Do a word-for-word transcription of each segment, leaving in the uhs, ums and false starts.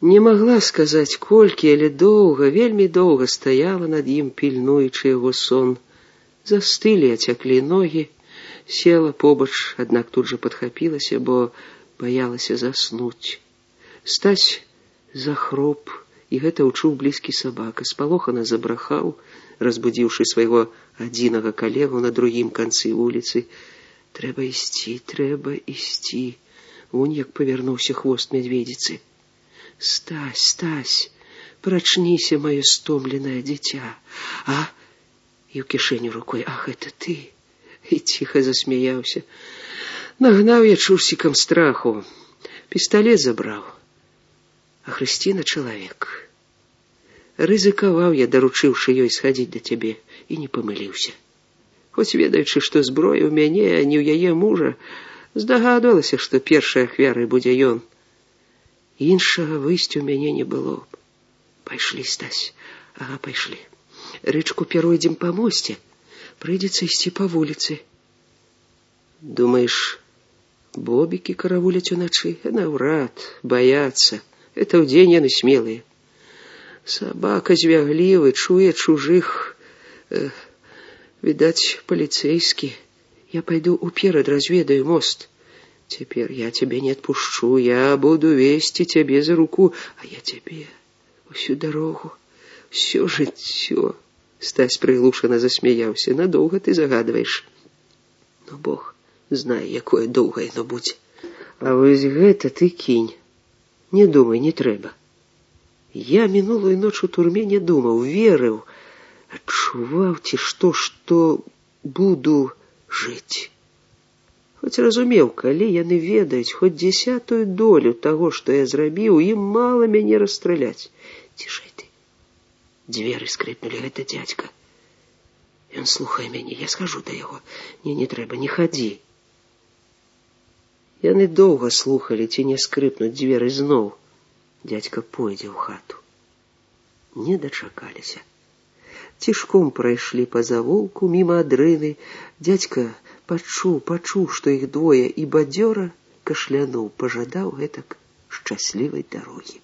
Не могла сказаць колькі, але доўга, вельмі доўга стаяла над ім, пільнуючы яго сон. Застылі, ацяклі ногі, села побач, аднак тут жа падхапілася, бо баялася заснуць. Стась захроп, і гэта ўчуў блізкі сабака. Спалохана забрахаў, разбудзіўшы свайго адзінага калегу на другім канцы вуліцы. Трэба ісці, трэба ісці. Вунь як павярнуўся хвост мядведзіцы. Стась, Стась, прачніся, маё стомленае дзіця. А? І ў кішэню рукой. Ах, это ты? І ціха засмяяўся. Нагнаў я чурсікам страху. Пісталет забраў. А Хрысціна чалавек. Рызыкаваў я, даручыўшы ёй схадзіць да цябе, і не памыліўся. Хоць ведаючы, што зброя ў мяне, а не ў яе мужа, здагадвалася, што першай ахвярай будзе ён. Іншага выйсця ў мяне не было б. Пайшлі, Стась. Ага, пайшлі. Рычку перайдзем па мосце. Прыйдзецца ісці па вуліцы. Думаеш, бобікі каравуляць уначы? Наўрад, баяцца. Это ўдзень яны смелыя. Сабака звяглівы, чуе чужых. Э, відаць, паліцэйскі. Я пайду уперад, разведаю мост. Цяпер я цябе не адпушчу, я буду весці цябе за руку, а я цябе усю дарогу, усё жыццё. Стась прыглушана засмяяўся. Надоўга ты загадваеш. Ну, Бог знае, якое доўга яно будзе. А вось гэта ты кінь. Не думай, не трэба. Я мінулую ноч у турме не думаў, верыў, адчуваў ці што, што буду жыць. Хоць разумеў, калі яны ведаюць хоць дзесятую долю таго, што я зрабіў, ім мала мяне расстраляць. Цішэй ты. Дзверы скрыпнулі, гэта дзядзька. Ён слухае мяне, я схожу да яго. Не, не трэба, не хадзі. Яны доўга слухалі, ці не скрыпнуць дзверы зноў. Дзядзька пойдзе ў хату. Не дачакаліся. Цішком прайшлі па завулку, міма адрыны. Дзядзька пачуў, пачуў, што іх двое, і бадзёра кашлянуў, пажадаў гэтак шчаслівай дарогі.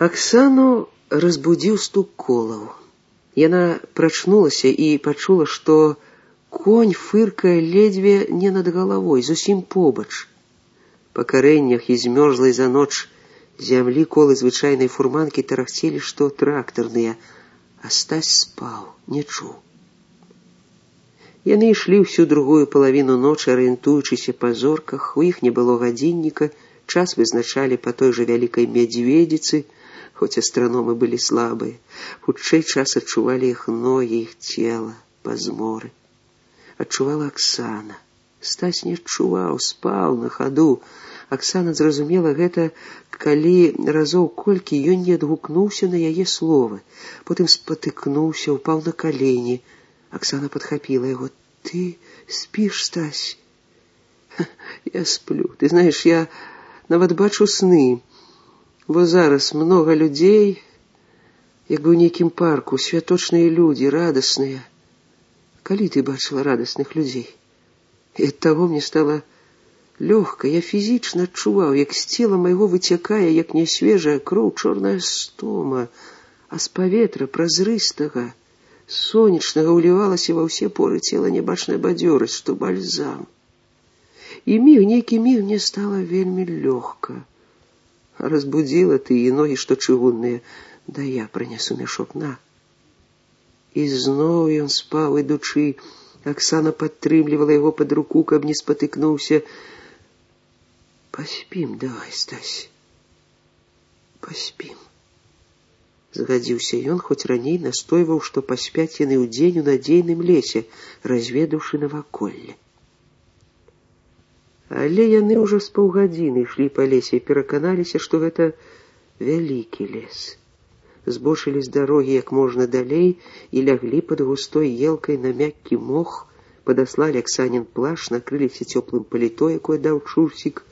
Аксану разбудзіў стук колаў. Яна прачнулася і пачула, што конь фыркае ледзьве не над галавой, зусім побач. Па карэннях і змёрзлай за ноч зямлі колы звычайнай фурманкі тарахцелі, што трактарныя, а Стась спаў, не чуў. Яны ішлі ўсю другую палавіну ночы, арыентуючыся па зорках, у іх не было гадзінніка, час вызначалі па той жа вялікай мядзведзіцы, хоць астраномы былі слабыя. Хутчэй час адчувалі іх ногі, іх цела, пазморы. Адчувала Аксана. Стась не адчуваў, спаў на хаду. Аксана зразумела гэта, калі разоў колькі ён не адгукнуўся на яе словы. Потым спатыкнуўся, упаў на калені. Аксана падхапіла яго. Ты спіш, Стась? Я сплю. Ты знаеш, я нават бачу сны. Бо зараз многа людзей, як бы ў нейкім парку, святочныя людзі, радасныя. Калі ты бачыла радасных людзей? І ад таго мне стала лёгка, я фізічна адчуваў, як з цела майго выцякае, як нясвежая кроў, чорная стома, а з паветра празрыстага, сонечнага ўлівалася ва ўсе поры цела нябачная бадзёрасць, што бальзам. І міг, нейкі міг мне стала вельмі лёгка. Разбудзіла ты і ногі, што чыгунныя. Да я прынясу мяшок, на. І зноў ён спаў, ідучы. Аксана падтрымлівала яго пад руку, каб не спатыкнуўся. Паспім, давай, Стась. Паспім. Згадзіўся ён, хоць раней настойваў, што паспяць яны ў дзень у надзейным лесе, разведаўшы наваколле. Але яны ўжо з паўгадзіны ішлі па лесе і пераканаліся, што гэта вялікі лес. Збочылі з дарогі як можна далей і ляглі пад густой елкай на мяккі мох, падаслалі Аксанін плаш, накрыліся цёплым паліто, якое даў чурсік,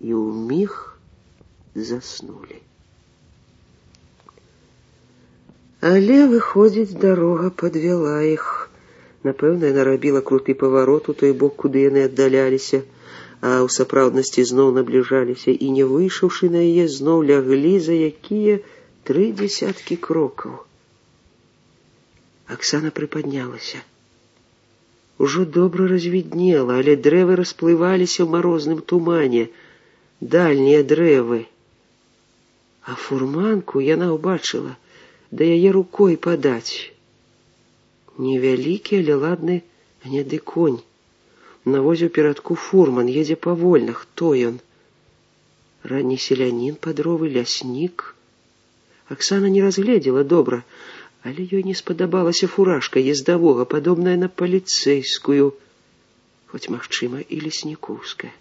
і ўміг заснулі. Але, выходзіць, дарога падвяла іх. Напэўна, яна рабіла круты паварот у той бок, куды яны аддаляліся. а ў сапраўднасці зноў набліжаліся і, не выйшаўшы на яе, зноў ляглі за якія тры дзесяткі крокаў. Аксана прыпаднялася. Ужо добра развіднела, але дрэвы расплываліся ў марозным тумане, дальнія дрэвы. А фурманку яна ўбачыла, да яе рукой падаць. Невялікі, але ладны гняды конь. На возе ў перадку фурман, едзе павольна. Хто ён? Ранні селянін пад ровы, ляснік? Аксана не разгледзела добра, але ёй не спадабалася фуражка ездавога, падобная на паліцэйскую, хоць, магчыма, і леснікоўская.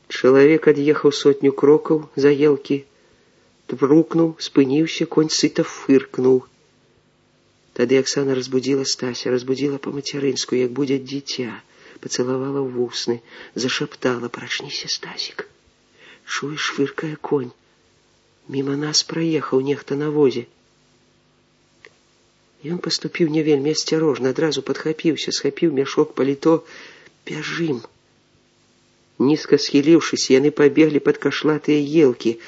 Чалавек ад'ехаў сотню крокаў за елкі, тврукнуў, спыніўся, конь сыта фыркнуў. Тады Аксана разбудзіла Стася, разбудзіла па-мацярынску, як будзе дзіця, пацалавала ў вусны, зашаптала: «Прачніся, Стасік. Чуеш, фыркае конь. Міма нас праехаў нехта на возе». Ён паступіў не вельмі асцярожна, адразу падхапіўся, схапіў мяшок, паліто. «Бяжым». Нізка схіліўшыся, яны пабеглі пад кашлатыя елкі.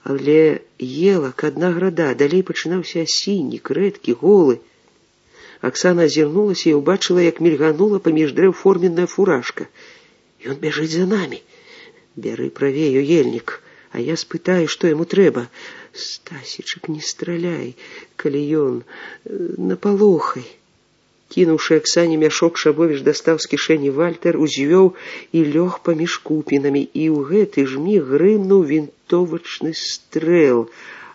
Але елак адна града, далей пачынаўся асіннік, рэдкі, голы. Аксана азірнулася і ўбачыла, як мільганула паміж дрэў форменная фуражка. «Ён бяжыць за намі. Бяры правей, ельнік, а я спытаю, што яму трэба. Стасічак, не страляй, калі ён напалохай». Кінуўшы Аксане мяшок, Шабовіч дастаў з кішэні вальтер, узвёў і лёг паміж купінамі, і ў гэты ж міг грымнуў вінтовачны стрэл.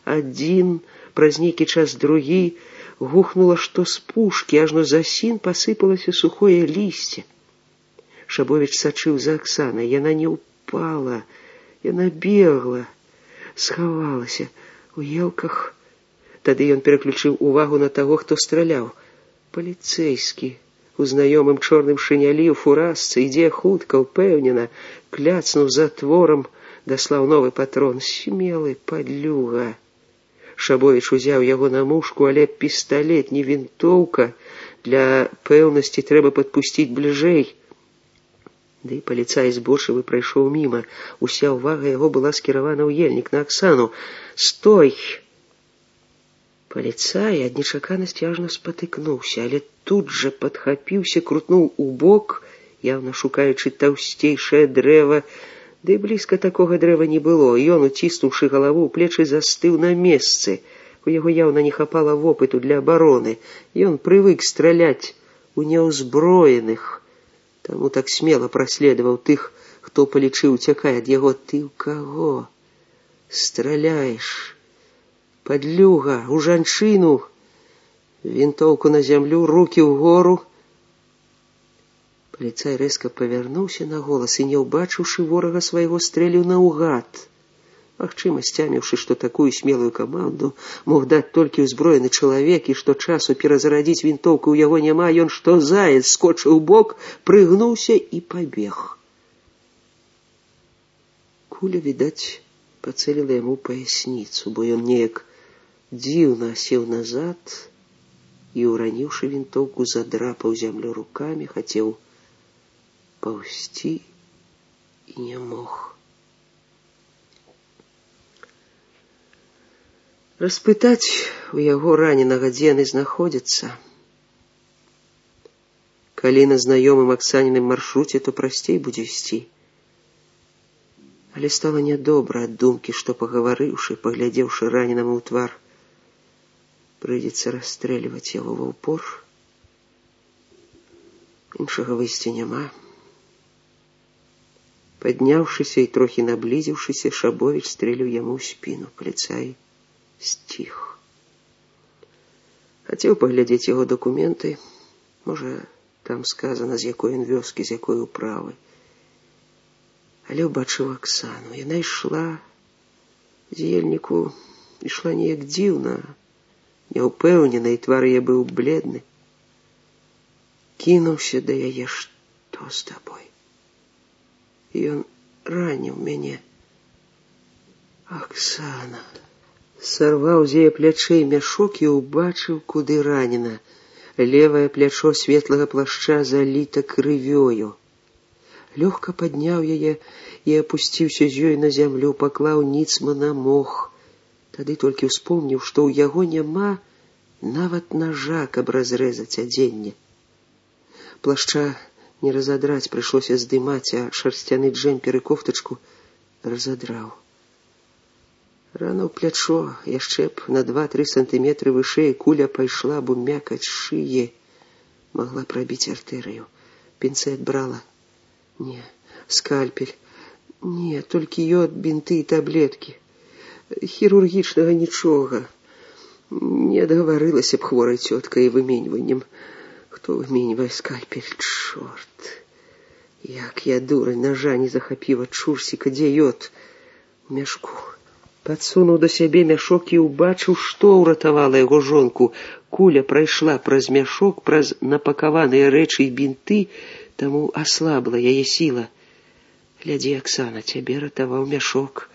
Адзін, праз нейкі час другі, гухнула што з пушкі, ажно за сін пасыпалася сухое лісце. Шабовіч сачыў за Аксанай. Яна не ўпала, яна бегла, схавалася у елках. Тады ён пераключыў увагу на таго, хто страляў. Паліцэйскі, у знаёмым чорным шынялі, у фуражцы, ідзе хутка, упэўнена, кляцнуў затворам, даслаў новы патрон. Смелы падлюга. Шабовіч узяў яго на мушку, але пісталет, не вінтоўка. Для пэўнасці трэба падпусціць бліжэй. Ды і паліцай збочывы прайшоў міма. Уся ўвага яго была скіравана ў ельнік, на Аксану. «Стой!» Паліцай ад нечаканасці ажно спатыкнуўся, але тут жа падхапіўся, крутнуў у бок, яўна шукаючы таўсцейшае дрэва. Ды блізка такога дрэва не было. Ён, уціснуўшы галаву ў плечы, застыў на месцы. У яго яўна не хапала вопыту для абароны. Ён прывык страляць у няўзброеных, таму так смела праследаваў тых, хто палічыў уцякае ад яго. «Ты ў каго страляеш? Падлюга, у жанчыну!» Вінтоўку на зямлю, рукі ўгору. Паліцай рэзка павярнуўся на голас і, не ўбачыўшы ворага свайго, стрэліў наўгад. Магчыма, сцяміўшы, што такую смелую каманду мог даць толькі ўзброены чалавек, і што часу перазарадзіць вінтоўку ў яго няма, ён што заяц скочыў у бок, прыгнуўся і пабег. Куля, відаць, пацэліла яму паясніцу, бо ён неяк дзіўна сеў назад і, ураніўшы вінтоўку, задрапаў зямлю рукамі, хацеў паўзці і не мог. Распытаць у яго раненага, дзе яны знаходзяцца. Калі на знаёмым Аксаніным маршруце, то прасцей будзе ісці. Але стала нядобра ад думкі, што, пагаварыўшы, паглядзеўшы раненаму ў твар, прыйдзецца расстрэльваць яго ва ўпор. Іншага выйсця няма. Падняўшыся і трохі наблізіўшыся, Шабовіч стрэліў яму ў спіну. Паліцай сціх. Хацеў паглядзець яго дакументы. Можа, там сказана, з якой ён вёскі, з якой управы. Але ўбачыў Аксану. Яна ішла з ельніку, ішла неяк дзіўна, няўпэўнена, і твар яе быў бледны. Кінуўся да яе. «Што з табой? Ён раніў мяне». «Аксана!» Сарваў з яе плячэй мяшок і ўбачыў, куды ранена. Левое плячо светлага плашча заліта крывёю. Лёгка падняў яе і апусціўся з ёй на зямлю, паклаў ніцма на мох. Тады толькі ўспомніў, што ў яго няма нават нажа, каб разрэзаць адзенне. Плашча не разадраць, прыйшлося здымаць, а шарсцяны джэмпер і кофтачку разадраў. Рана ў плячо, яшчэ б на два-тры сантыметры вышэй, куля пайшла б у мякаць шыі, магла прабіць артэрыю. Пінцэт брала? Не. Скальпель? Не, толькі йод, бінты і таблеткі. Хірургічнага нічога. Не адгаварылася б хворай цёткай выменьваннем. Хто выменьвае скальпель? Чорт! Як я дурань, ножа не захапіла, чурсіка, дзе йод? У мяшку. Падсунуў да сябе мяшок і ўбачыў, што ўратавала яго жонку. Куля прайшла праз мяшок, праз напакаваныя рэчы і бінты, таму аслабла яе сіла. Глядзі, Аксана, цябе ратаваў мяшок.